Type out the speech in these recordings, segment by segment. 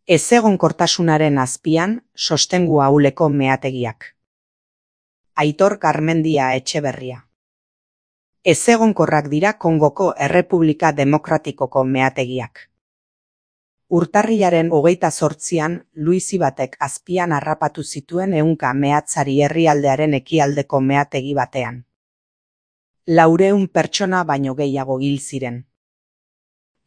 Ezegonkortasunaren azpian, sostengu ahuleko meategiak. Aitor Garmendia Etxeberria. Ezegonkorrak dira Kongoko Errepublika Demokratikoko meategiak. Urtarrilaren 28an, Luizi batek azpian harrapatu zituen 100 meatzari herrialdearen ekialdeko meategi batean. 400 pertsona baino gehiago hil ziren.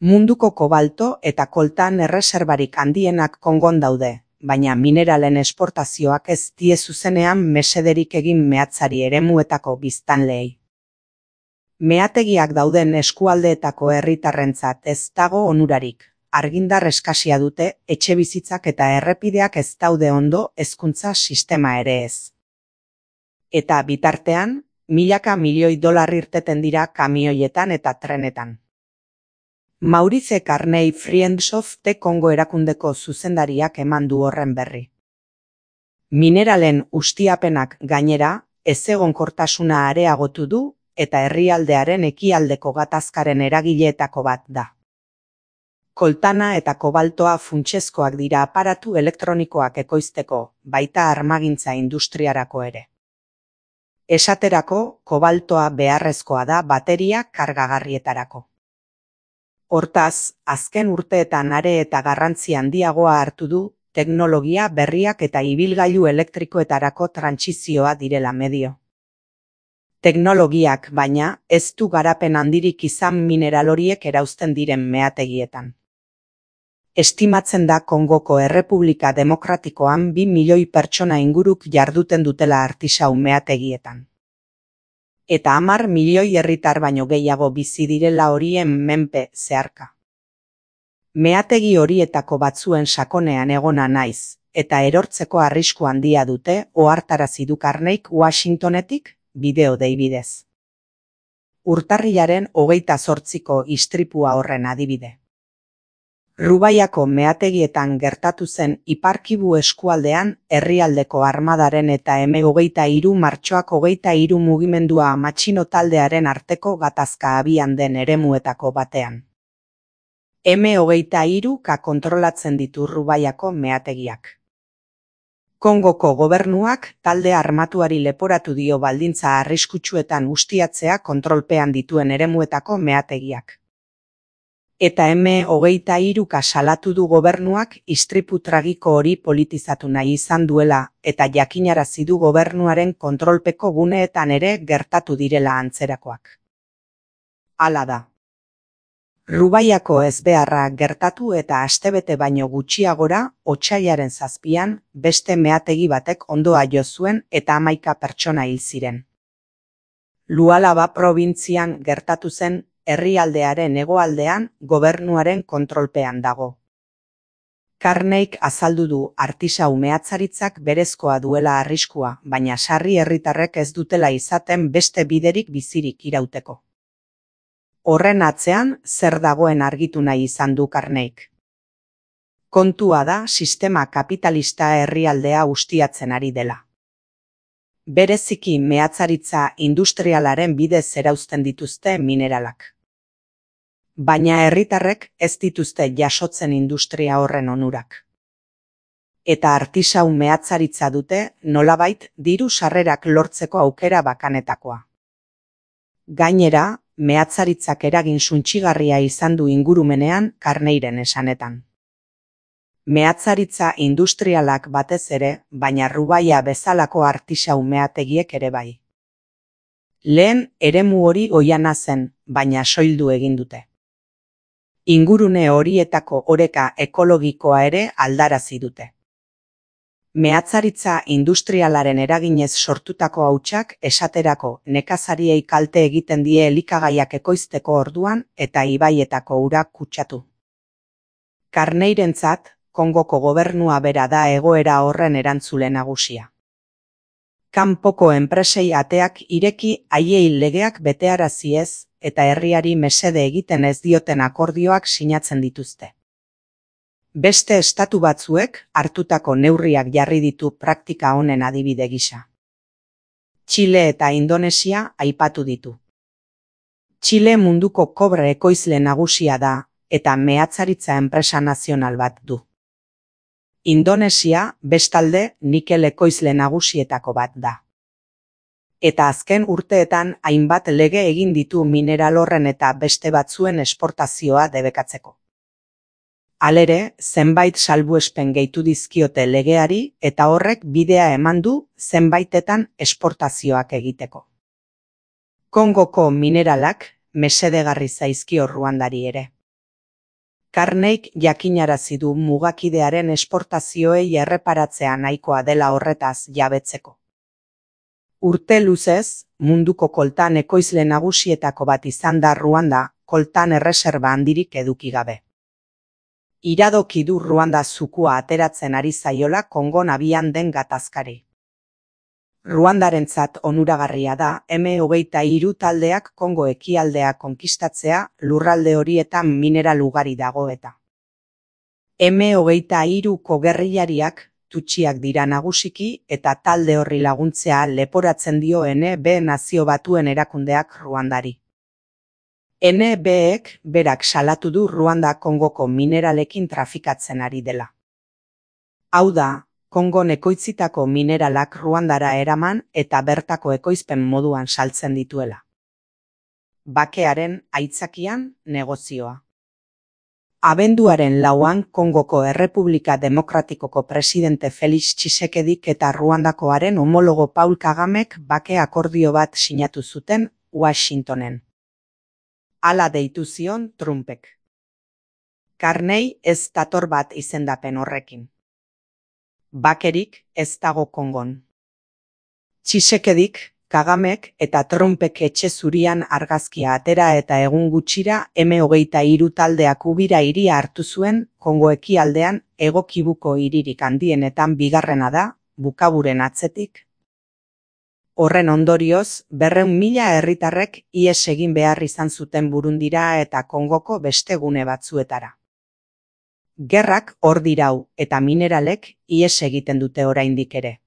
Munduko kobalto eta koltan erreserbarik handienak Kongon daude, baina mineralen esportazioak ez die zuzenean mesederik egin meatzari eremuetako biztanleei. Meategiak dauden eskualdeetako herritarrentzat ez dago onurarik. Argindar eskasia dute, etxebizitzak eta errepideak ez daude ondo, hezkuntza sistema ere ez. Eta bitartean, milaka milioi dolar irteten dira kamioietan eta trenetan. Maurice Carney Friends of the Congo erakundeko zuzendariak eman du horren berri. Mineralen ustiapenak gainera, ezegonkortasuna areagotu du eta herrialdearen ekialdeko gatazkaren eragileetako bat da. Koltana eta kobaltoa funtsezkoak dira aparatu elektronikoak ekoizteko, baita armagintza industriarako ere. Esaterako, kobaltoa beharrezkoa da bateria kargagarrietarako. Hortaz, azken urteetan are eta garrantzi handiagoa hartu du, teknologia berriak eta ibilgailu elektrikoetarako trantsizioa direla medio. Teknologiak, baina, ez du garapen handirik izan mineral horiek erauzten diren meategietan. Estimatzen da Kongoko Errepublika Demokratikoan 2 milioi pertsona inguruk jarduten dutela artisau meategietan. Eta 10 milioi herritar baino gehiago bizi direla horien menpe zeharka. Meategi horietako batzuen sakonean egona naiz, eta erortzeko arrisku handia dute, ohartarazi du Carneyk Washingtonetik, bideo dei bidez. Urtarrilaren 28ko istripua horren adibide. Rubaiako meategietan gertatu zen Ipar Kivu eskualdean herrialdeko armadaren eta M23 martxoak 23 mugimendua matxino taldearen arteko gatazka abian den eremuetako batean. M23 kontrolatzen ditu Rubaiako meategiak. Kongoko gobernuak talde armatuari leporatu dio baldintza arriskutsuetan ustiatzea kontrolpean dituen eremuetako meategiak. Eta M23 salatu du gobernuak istripu tragiko hori politizatu nahi izan duela, eta jakinarazi du gobernuaren kontrolpeko guneetan ere gertatu direla antzerakoak. Hala da. Rubaiako ezbeharra gertatu eta astebete baino gutxiagora, otsailaren 7an, beste meategi batek ondoa jo zuen eta 11 pertsona hil ziren. Lualaba probintzian gertatu zen, herrialdearen hegoaldean gobernuaren kontrolpean dago. Carneyk azaldu du artisau meatzaritzak berezkoa duela arriskua, baina sarri herritarrek ez dutela izaten beste biderik bizirik irauteko. Horren atzean zer dagoen argitu nahi izan du Carneyk. Kontua da sistema kapitalista herrialdea ustiatzen ari dela. Bereziki meatzaritza industrialaren bidez erauzten dituzte mineralak. Baina herritarrek ez dituzte jasotzen industria horren onurak. Eta artisau meatzaritza dute nolabait diru sarrerak lortzeko aukera bakanetakoa. Gainera, meatzaritzak eragin suntsigarria izan du ingurumenean Carneyren esanetan. Meatzaritza industrialak batez ere, baina Rubaia bezalako artisau meategiek ere bai. Lehen eremu hori oihana zen, baina soildu egin dute. Ingurune horietako oreka ekologikoa ere aldarazi dute. Meatzaritza industrialaren eraginez sortutako hautsak esaterako nekazariei kalte egiten die elikagaiak ekoizteko orduan eta ibaietako urak kutsatu. Carneyrentzat, Kongoko gobernua bera da egoera horren erantzule nagusia. Kanpoko enpresei ateak ireki haiei legeak betearazi ez eta herriari mesede egiten ez dioten akordioak sinatzen dituzte. Beste estatu batzuek hartutako neurriak jarri ditu praktika honen adibide gisa. Txile eta Indonesia aipatu ditu. Txile munduko kobre ekoizle nagusia da eta meatzaritza enpresa nazional bat du. Indonesia, bestalde, nikel ekoizle nagusietako bat da. Eta azken urteetan hainbat lege egin ditu mineral horren eta beste batzuen esportazioa debekatzeko. Halere, zenbait salbuespen gehitu dizkiote legeari eta horrek bidea eman du zenbaitetan esportazioak egiteko. Kongoko mineralak mesedegarri zaizkio Ruandari ere. Carneyk jakinarazi du mugakidearen esportazioei erreparatzea nahikoa dela horretaz jabetzeko. Urte luzez, munduko koltan ekoizle nagusietako bat izan da Ruanda, koltan erreserba handirik eduki gabe. Iradoki du Ruanda zukua ateratzen ari zaiola Kongon abian den gatazkari. Ruandarentzat onuragarria da M23 taldeak Kongo ekialdea konkistatzea lurralde horietan mineral ugari dago eta. M23ko gerrillariak tutsiak dira nagusiki eta talde horri laguntzea leporatzen dio NB Nazio Batuen erakundeak Ruandari. NBek berak salatu du Ruanda Kongoko mineralekin trafikatzen ari dela. Hau da, Kongon ekoitzitako mineralak Ruandara eraman eta bertako ekoizpen moduan saltzen dituela. Bakearen aitzakian negozioa. Abenduaren 4an Kongoko Errepublika Demokratikoko presidente Felix Tshisekedik eta Ruandakoaren homologo Paul Kagamek bake akordio bat sinatu zuten Washingtonen. Hala deitu zion Trumpek. Carney ez dator bat izendapen horrekin. Bakerik ez dago Kongon. Tshisekedik, Kagamek eta Trumpek etxe zurian argazkia atera eta egun gutxira M23 taldeak Ubira hiria hartu zuen Kongo ekialdean Hego Kibuko hiririk handienetan bigarrena da, Bukaburen atzetik. Horren ondorioz, 200.000 herritarrek ihes egin behar izan zuten Burundira eta Kongoko beste gune batzuetara. Gerrak hor dirau eta mineralek ihes egiten dute oraindik ere.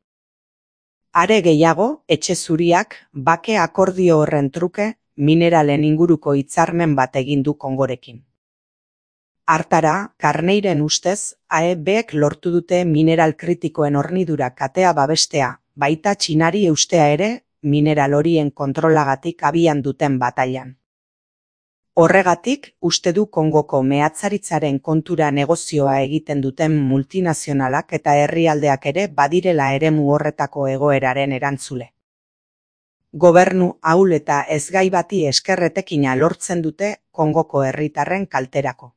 Are gehiago, etxe zuriak bake akordio horren truke mineralen inguruko hitzarmen bat egin du Kongorekin. Hartara, Carneyren ustez, AEBek lortu dute mineral kritikoen hornidura katea babestea, baita Txinari eustea ere mineral horien kontrolagatik abian duten batailan. Horregatik, uste du Kongoko mehatzaritzaren kontura negozioa egiten duten multinazionalak eta herrialdeak ere badirela eremu horretako egoeraren erantzule. Gobernu ahul eta ezgai bati eskerretekina lortzen dute Kongoko herritarren kalterako.